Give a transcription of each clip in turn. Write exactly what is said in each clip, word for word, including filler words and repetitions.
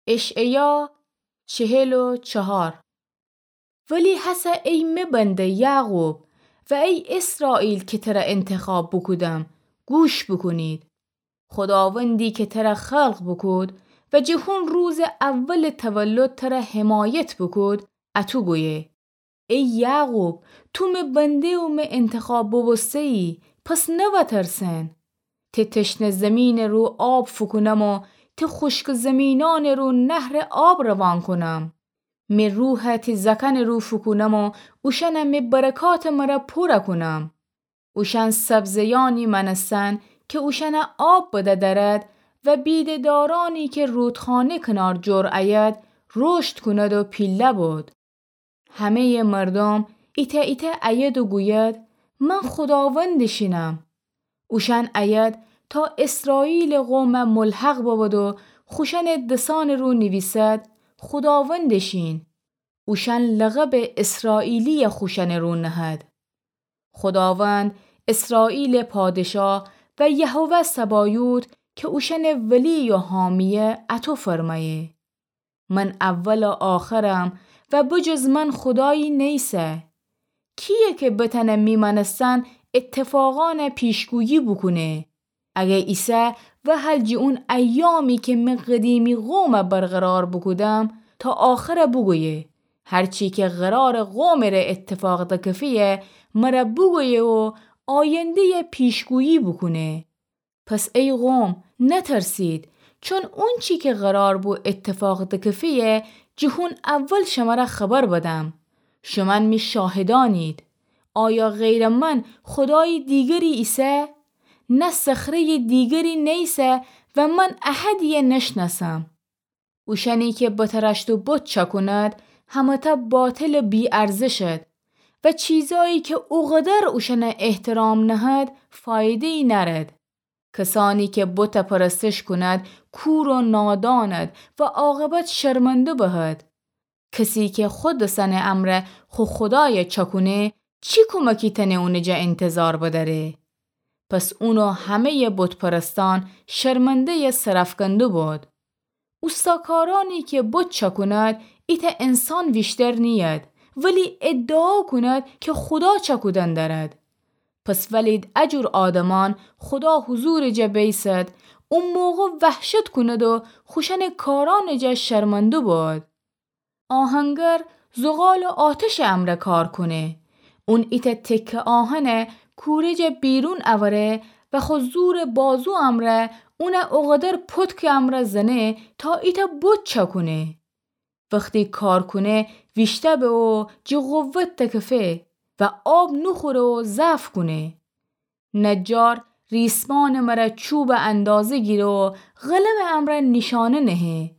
اشعیا چهل و چهار. ولی هسه ای می بنده یعقوب و ای اسرائیل که تره انتخاب بوکودم، گوش بوکونید. خوداوندی که تره خلق بوکود و جه هون روز اول تولد تره حمایت بوکود، اتو گویه: ای یعقوب، تو می بنده و می انتخاب بوبوسته‌یی، پس نوترسن. ته تشنه زمینٚ رو آب فوکونم و ته خوشک زمینانٚ رو نهرٚ آب روان کونم. می روحه تی زکنٚ رو فوکونم و اوشأنه می برکاتٚ مره پوره کونم. اوشأن سبزه‌یأنی مأنستن که اوشأنه آب بده درد و بیده‌دارأنی که رودخانه کنار جور أید، رشد کوند و پیله بود. همه‌یٚ مردوم ایتأ ایتأ أید و گوید: من خوداوندٚ شینم. اوشأن أید تا اسرائیلٚ قومه ملحق ببد و خوشأنٚ دسأنٚ رو نیویسد: خوداوندٚ شین. اوشأن لقبٚ اسرائیلی‌یه خوشأنٚ رو نهد. خوداوند، اسرائیلٚ پادشاه و یهوه سبایوت که اوشأنٚ ولی و حامی‌یه، اطو فرمأیه: من اول و آخرم و بجز من خودایی نیسه. کییه که بتأنه می مأنستن اتفاقأنه پیشگویی بوکونه؟ اگه ایسه، وهل جٚه اون ایامی که می قدیمی قومه برقرار بوکودم، تا آخره بوگویه. هرچی که قرارٚ قومٚ ره اتفاق دکفه‌یه، مره بوگویه و آینده‌یه پیشگویی بوکونه. پس ای قوم، نترسید، چون اونچی که قرار بو اتفاق دکفه‌یه، جٚه هون اول شمره خبر بدم. شومأن می شاهدأنید. آیا غیرٚ من خودایی دیگری ایسه؟ نه صخره‌یٚ دیگری نیسه و من احدی‌یه نشنأسم. اوشأنی که بترشت و بت چأکوند، همه‌تأ باطلٚ بی‌ارزشد و چیزایی که اوقدر اوشأنه احترام نهد، فایده‌یی نأرد. کسأنی که بت پرستش کوند، کور و ناداند و عاقبت شرمنده بهد. کسی که خو دسأنٚ امرأ خو خودایه چأکونه، چی کومکی تأنه اونٚ جا انتظار بدأره؟ پس اون و همه‌یٚ بت‌پرستأن شرمنده‌یٚ سرأفکنده بد. اوستاکارأنی که بت چأکوند، ایتأ انسان ویشتر نیید، ولی ادعا کوند که خودا چأکودن دأرد. پس ولید ا جور آدمأن خودا حضورٚ جا بیسد، او موقع وحشت کوند و خوشأنٚ کارأنٚ جا شرمنده بد. آهنگر زغالٚ آتشٚ امرأ کار کونه. اون ایتأ تکه آهنه کورٚ جا بیرون اوره و خو زورٚ بازو امرأ اونه اوقدر پتکٚ امرأ زنه تا ایتأ بت چأکونه. وختی کار کونه ویشته به و جٚه قوت دکفه و آب نوخوره و ضعف کونه. نجار ریسمانٚ مره چوبٚ اندازه گیره و قلمٚ امرأ نیشانه نهه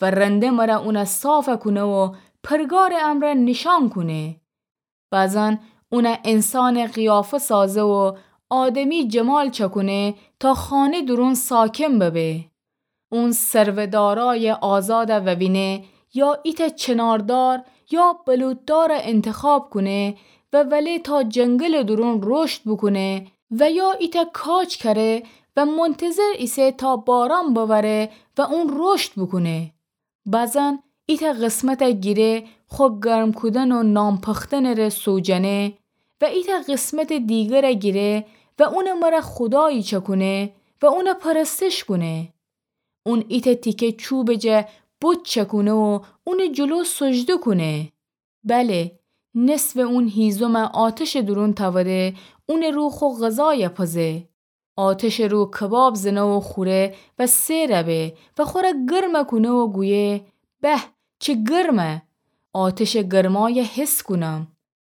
و رنده مره اونه صافه کونه و پرگارٚ امرأ نیشان کونه. بعضاً اونه انسانٚ قیافه سازه و آدمی جمال چأکونه تا خانه دورون ساکن ببه. اون ثروه‌دارای آزاده ووینه، یا ایتأ چناردار یا بلوط‌داره انتخاب کونه و وله تا جنگلٚ دورون رشد بوکونه و یا ایتأ کاج کره و منتظر ایسه تا باران بوره و اون رشد بوکونه. بعضاً ایتأ قسمته گیره خو گرم کودن و نان پختنٚ ره سوجنه و ایتأ قسمتٚ دیگره گیره و اونٚ مره خودایی چأکونه و اونه پرستش کونه. اون ایتأ تیکه چوبٚ جا بت چأکونه و اونٚ جلو سجده کونه. بله، نصفٚ اون هیزمه آتشٚ دورون تأوده، اونٚ رو خو غذایه پزه. آتشٚ رو کباب زنه و خوره و سئر به و خوره گرمه کونه و گویه: به، چه گرمه! آتشٚ گرمایه حس کونم.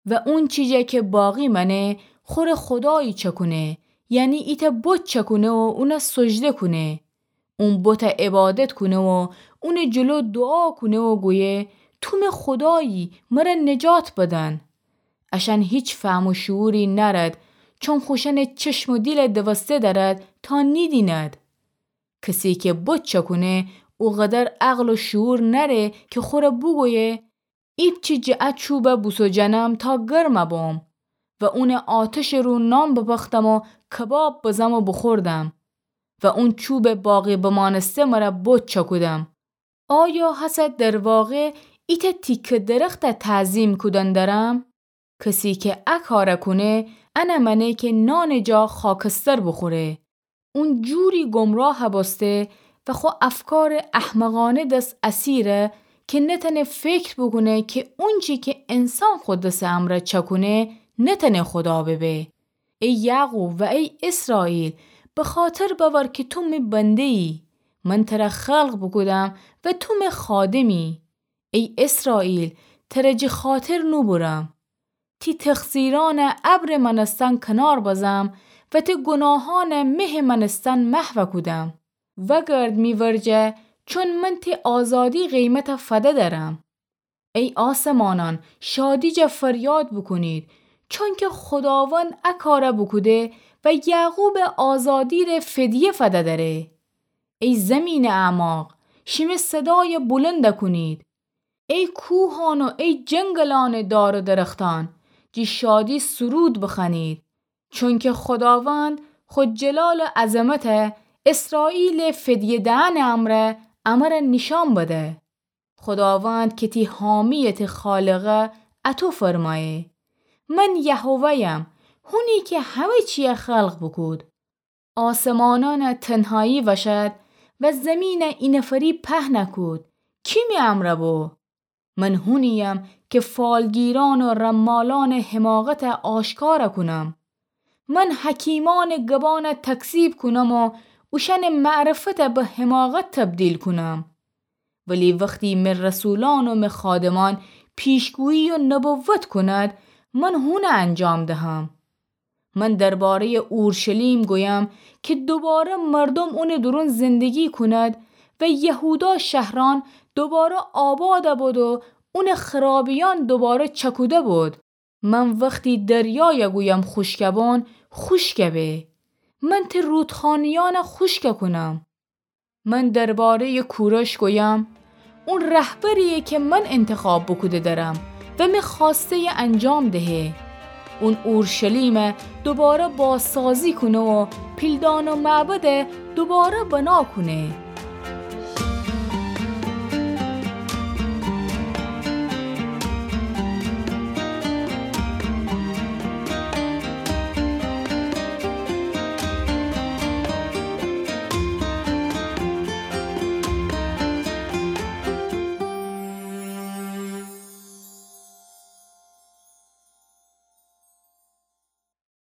و اون چیجه که باقی مأنه، خوره خودایی چأکونه، یعنی ایتأ بت چأکونه و اونه سجده کونه. اون بته عبادت کونه و اونٚ جلو دوعا کونه و گویه: تو می خودایی، مره نجات بدن. اشأن هیچ فهم و شعوری نأرد، چون خوشأنٚ چشم و دیل دوسته دأرد تا نیدیند. کسی که بت چأکونه، اوقدر عقل و شعور نأره که خوره بوگویه: ایپچی جٚه ا چوبه بوسوجأنم تا گرمه بوم و اونٚ آتشٚ رو نان بپختم و کباب بزم و بوخوردم و اون چوبٚ باقی بمأنسته مره بت چأکودم. آیا هسه در واقع ایتأ تیکه درخته تعظیم کودن درم؟ کسی کی ا کاره کونه، انه مأنه کی نانٚ جا خاکستر بوخوره. اون جوری گمراه بوسته و خو افکارٚ احمقانه دس اسیره کی نتأنه فکر بوکونه کی اونچی کی انسان خو دسٚ امرأ چأکونه، نتأنه خدا ببه. ای یعقوب و ای اسرائیل، بخاطر بأور کی تو می بنده‌یی. من تره خلق بوکودم و تو می خادمی. ای اسرائیل، تره جٚه خاطر نوبورم. تی تقصیرأنه ابرٚ مأنستن کنار بزم و تی گوناهأنه مهٚ مأنستن محو کودم. وأگرد می ورجه، چون من تی آزادی قیمت فده درم. ای آسمانأن، شادی جا فریاد بوکونید، چونکی خوداوند ا کاره بوکوده و یعقوبٚ آزادی ره فدیه فده دره. ای زیمینٚ اعماق، شیمی صدای بلند کونید. ای کوهأن و ای جنگلأنٚ دار و درختأن، جٚه شادی سرود بخوأنید، چونکی خوداوند خو جلال و عظمته اسرائیلٚ فدیه دهنٚ امرأ امره نیشأن بده. خوداوند کی تی حامییه، تی خالقه، اطو فرمأیه: من یهوه‌یم، هونی کی همه چیه خلق بوکود. آسمانأنه تنهایی وشد و زیمینه اینفری پهن کود. کی می امرأ بو؟ من هونییم کی فالگیرأن و رمالأنٚ حماقته آشکار کونم. من حکیمأنٚ گبأنه تکذیب کونم و اوشأنٚ معرفته به حماقت تبدیل کونم. ولی وختی می رسولأن و می خادمأن پیشگویی و نبوت کوند، من هونه انجام دهم. من درباره‌یٚ اورشلیم گویم کی دوباره مردوم اونٚ دورون زندگی کوند و یهودا شهرأن دوباره آباد بود و اونٚ خرابیأن دوباره چکوده بود. من وختی دریای گویم خوشک بون، خوشک به. من تی رودخانه‌یأنه خوشک کونم. من درباره‌یٚ کورش گویم، اون رهبرییه کی من انتخاب بوکوده درم و می خوأسته‌یه انجام دهه. اون اورشلیمه دوباره بازسازی کونه و پیلدان و معبده دوباره بنا کونه.